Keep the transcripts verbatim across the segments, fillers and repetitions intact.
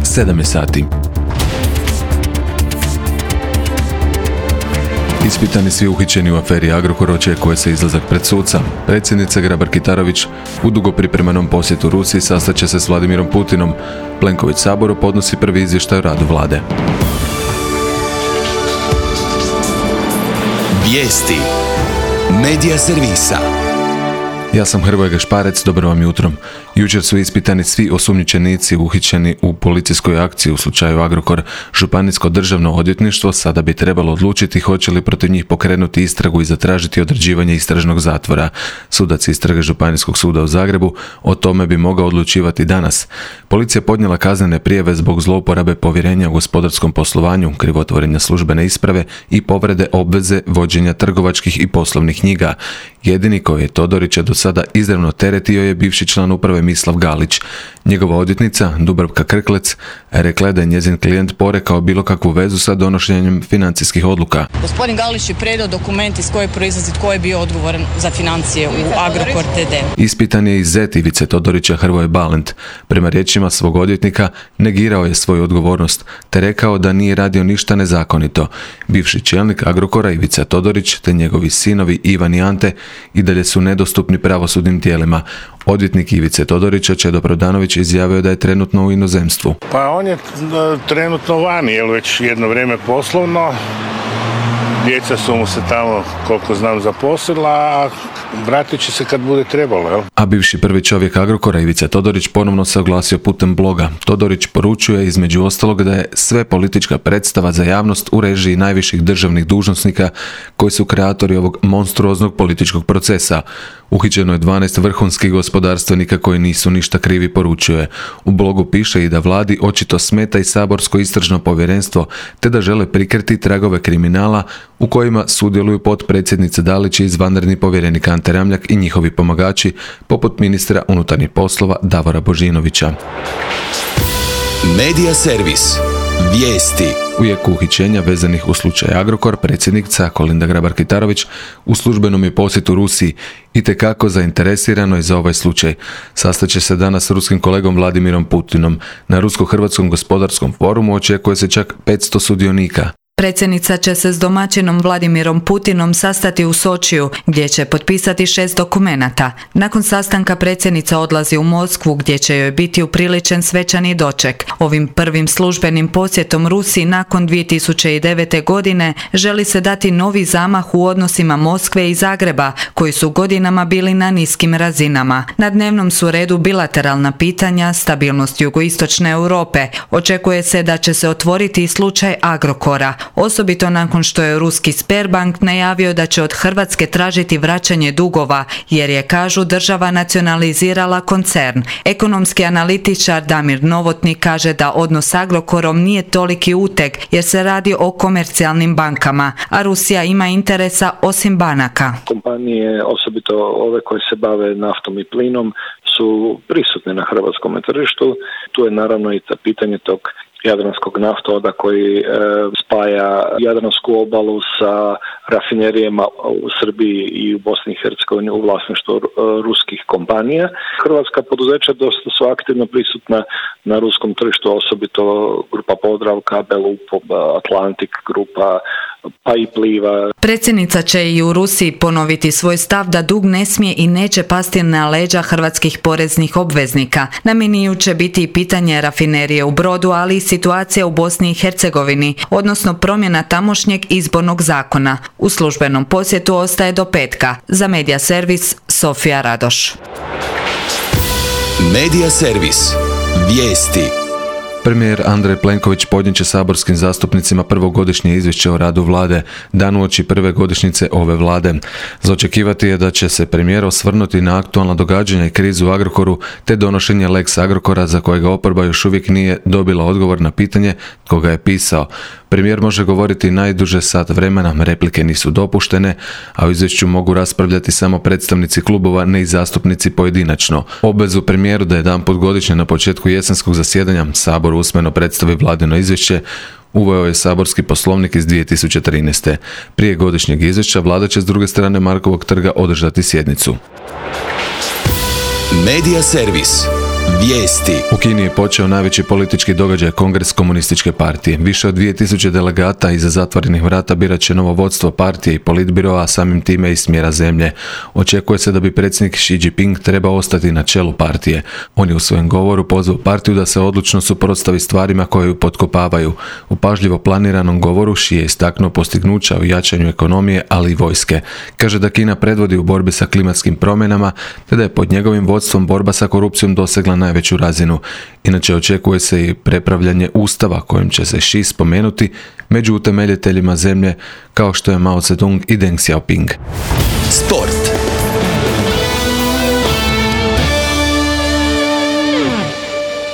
sedam je sati. Ispitani svi uhićeni u aferi Agrokor, očekuje se izlazak pred suca. Predsjednica Grabar-Kitarović u dugo pripremanom posjetu Rusiji sastaće se s Vladimirom Putinom. Plenković Saboru podnosi prvi izvještaj o radu vlade. Vijesti Medija servisa. Ja sam Hrvoje Gašparec, dobro vam jutro. Jučer su ispitani svi osumnjičenici uhićeni u policijskoj akciji u slučaju Agrokor. Županijsko državno odvjetništvo sada bi trebalo odlučiti hoće li protiv njih pokrenuti istragu i zatražiti određivanje istražnog zatvora. Sudac istrage Županijskog suda u Zagrebu o tome bi mogao odlučivati danas. Policija podnijela kaznene prijave zbog zlouporabe povjerenja u gospodarskom poslovanju, krivotvorenja službene isprave i povrede obveze vođenja trgovačkih i poslovnih knjiga. Jedini koji je Todorića do sada izravno teretio je bivši član uprave Mislav Galić. Njegova odvjetnica, Dubravka Krklec, rekla je da je njezin klijent porekao bilo kakvu vezu sa donošenjem financijskih odluka. Gospodin Galić je predao dokument iz koje proizlazi tko je bio odgovoran za financije u Agrokor te de. Ispitan je i zet Ivice Todorića, Hrvoje Balent. Prema riječima svog odvjetnika negirao je svoju odgovornost te rekao da nije radio ništa nezakonito. Bivši čelnik Agrokora Ivica Todorić te njegovi sinovi Ivan i Ante i dalje su nedostupni pravosudnim tijelima. Odvjetnik Ivice Todorića, Čedo Prodanović, izjavio da je trenutno u inozemstvu. Pa on je trenutno vani, jer već jedno vrijeme poslovno. Djeca su mu se tamo, koliko znam, zaposlila, a vratit će se kad bude trebalo. Jel? A bivši prvi čovjek Agrokora Ivica Todorić ponovno se oglasio putem bloga. Todorić poručuje između ostalog da je sve politička predstava za javnost u režiji najviših državnih dužnosnika koji su kreatori ovog monstruoznog političkog procesa. Uhićeno je dvanaest vrhunskih gospodarstvenika koji nisu ništa krivi, poručuje. U blogu piše i da vladi očito smeta i saborsko istražno povjerenstvo, te da žele prikriti tragove kriminala u kojima sudjeluju potpredsjednica Dalić i izvanredni povjerenik Ante Ramljak i njihovi pomagači, poput ministra unutarnjih poslova Davora Božinovića. Medija servis. Vijesti. U jeku uhićenja vezanih u slučaj Agrokor, predsjednica Kolinda Grabar-Kitarović u službenom je posjetu Rusiji itekako zainteresirano je za ovaj slučaj. Sastaće se danas s ruskim kolegom Vladimirom Putinom. Na Rusko-Hrvatskom gospodarskom forumu očekuje se čak petsto sudionika. Predsjednica će se s domaćinom Vladimirom Putinom sastati u Sočiju, gdje će potpisati šest dokumenata. Nakon sastanka predsjednica odlazi u Moskvu, gdje će joj biti upriličen svečani doček. Ovim prvim službenim posjetom Rusiji nakon dvije tisuće devete. godine želi se dati novi zamah u odnosima Moskve i Zagreba, koji su godinama bili na niskim razinama. Na dnevnom su redu bilateralna pitanja, stabilnost jugoistočne Europe. Očekuje se da će se otvoriti i slučaj Agrokora. Osobito nakon što je ruski Sberbank najavio da će od Hrvatske tražiti vraćanje dugova, jer je, kažu, država nacionalizirala koncern. Ekonomski analitičar Damir Novotni kaže da odnos s Agrokorom nije toliki uteg, jer se radi o komercijalnim bankama, a Rusija ima interesa osim banaka. Kompanije, osobito ove koje se bave naftom i plinom, su prisutne na hrvatskom tržištu. Tu je naravno i pitanje tog Jadranskog naftovoda koji e, spaja Jadransku obalu sa rafinerijama u Srbiji i u Bosni i Hercegovini u vlasništvu e, ruskih kompanija. Hrvatska poduzeća dosta su aktivno prisutna na ruskom tržištu, osobito grupa Podravka, Belupo, Atlantik grupa, pa i Pliva. Predsjednica će i u Rusiji ponoviti svoj stav da dug ne smije i neće pasti na leđa hrvatskih poreznih obveznika. Na meniju će biti i pitanje rafinerije u Brodu, ali i situacija u Bosni i Hercegovini, odnosno promjena tamošnjeg izbornog zakona. U službenom posjetu ostaje do petka. Za Medija servis, Sofija Radoš. Medija servis. Vijesti. Premijer Andrej Plenković podnijet će saborskim zastupnicima prvogodišnje izvješće o radu vlade, dan uoči prve godišnjice ove vlade. Za očekivati je da će se premijer osvrnuti na aktualna događanja i krizu u Agrokoru, te donošenje Lex Agrokora za kojega oporba još uvijek nije dobila odgovor na pitanje tko ga je pisao. Premijer može govoriti najduže sat vremena, replike nisu dopuštene, a u izvješću mogu raspravljati samo predstavnici klubova, ne i zastupnici pojedinačno. Obvezu premijeru da jedanput godišnje na početku jesenskog zasjedanja Sabor usmeno predstavi vladino izvješće uveo je saborski poslovnik iz dvije tisuće trinaeste. Prije godišnjeg izvješća vlada će s druge strane Markovog trga održati sjednicu. Medija servis. Vijesti. U Kini je počeo najveći politički događaj Kongres komunističke partije. Više od dvije tisuće delegata iza zatvorenih vrata birat će novo vodstvo partije i politbiroa, a samim time i smjera zemlje. Očekuje se da bi predsjednik Xi Jinping trebao ostati na čelu partije. On je u svojem govoru pozvao partiju da se odlučno suprotstavi stvarima koje ju potkopavaju. U pažljivo planiranom govoru Xi je istaknuo postignuća u jačanju ekonomije, ali i vojske. Kaže da Kina predvodi u borbi sa klimatskim promjenama, te da je pod njegovim vodstvom borba sa korupcijom dosegla najveću razinu. Inače očekuje se i prepravljanje ustava kojim će se Xi spomenuti među utemeljiteljima zemlje kao što je Mao Zedong i Deng Xiaoping. Sport.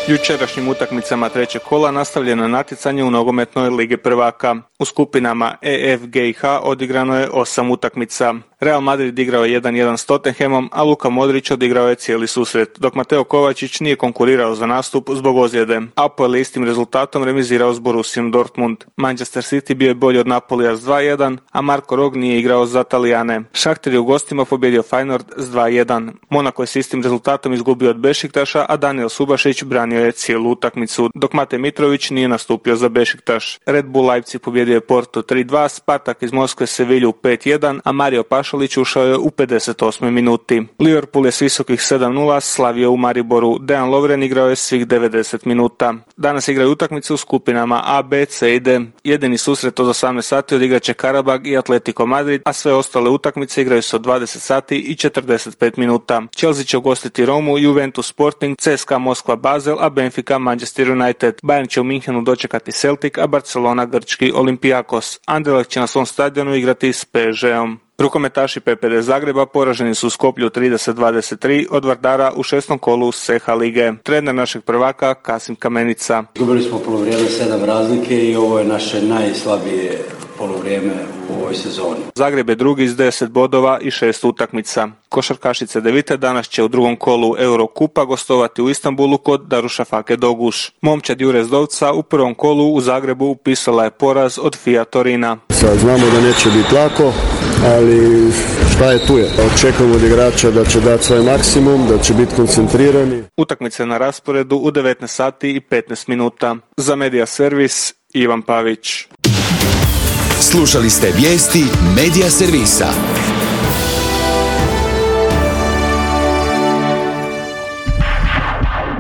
Jučerašnjim utakmicama trećeg kola nastavljeno natjecanje u nogometnoj Ligi prvaka. U skupinama E, F, G i H odigrano je osam utakmica. Real Madrid igrao je jedan jedan s Tottenhamom, a Luka Modrić odigrao je cijeli susret, dok Mateo Kovačić nije konkurirao za nastup zbog ozljede. Apoel je istim rezultatom remizirao s Borussiom Dortmund. Manchester City bio je bolji od Napolija s dva jedan, a Marko Rog nije igrao za Talijane. Šahter je u gostima pobjedio Feyenoord s dva jedan. Monako je s istim rezultatom izgubio od Bešiktaša, a Daniel Subašić branio je cijelu utakmicu, dok Mate Mitrović nije nastupio za Bešiktaš. Red Bull Leipzig pobjedio je Porto tri dva, Spartak iz Moskve Sevilju pet jedan, a Mario Pašalić ušao je u pedeset osmoj minuti. Liverpool je s visokih sedam nula slavio u Mariboru. Dejan Lovren igrao je svih devedeset minuta. Danas igraju utakmice u skupinama A, B, C i D. Jedini susret od osamnaest sati odigrat će Karabag i Atletico Madrid, a sve ostale utakmice igraju se od dvadeset sati i četrdeset pet minuta. Chelsea će ugostiti Romu, Juventus Sporting, C S K A Moskva Basel, a Benfica Manchester United. Bayern će u Minhenu dočekati Celtic, a Barcelona grčki Olympiakos. Anderlecht će na svom stadionu igrati s P S G-om. Rukometaši P P D Zagreba poraženi su u Skoplju trideset dvadeset tri od Vardara u šestom kolu S H lige. Trener našeg prvaka Kasim Kamenica. Izgubili smo polovrijeme sedam razlike i ovo je naše najslabije polovrijeme u ovoj sezoni. Zagreb je drugi s deset bodova i šest utakmica. Košarkašice Devite danas će u drugom kolu Eurokupa gostovati u Istanbulu kod Darušafake Doguš. Momčad Jure Zdovca u prvom kolu u Zagrebu upisala je poraz od Fija Torina. Sad znamo da neće biti lako, ali šta je tu je. Očekujemo od igrača da će dati svoj maksimum, da će biti koncentrirani. Utakmice na rasporedu u devetnaest sati i petnaest minuta. Za Media Servis Ivan Pavić. Slušali ste vijesti Media Servisa.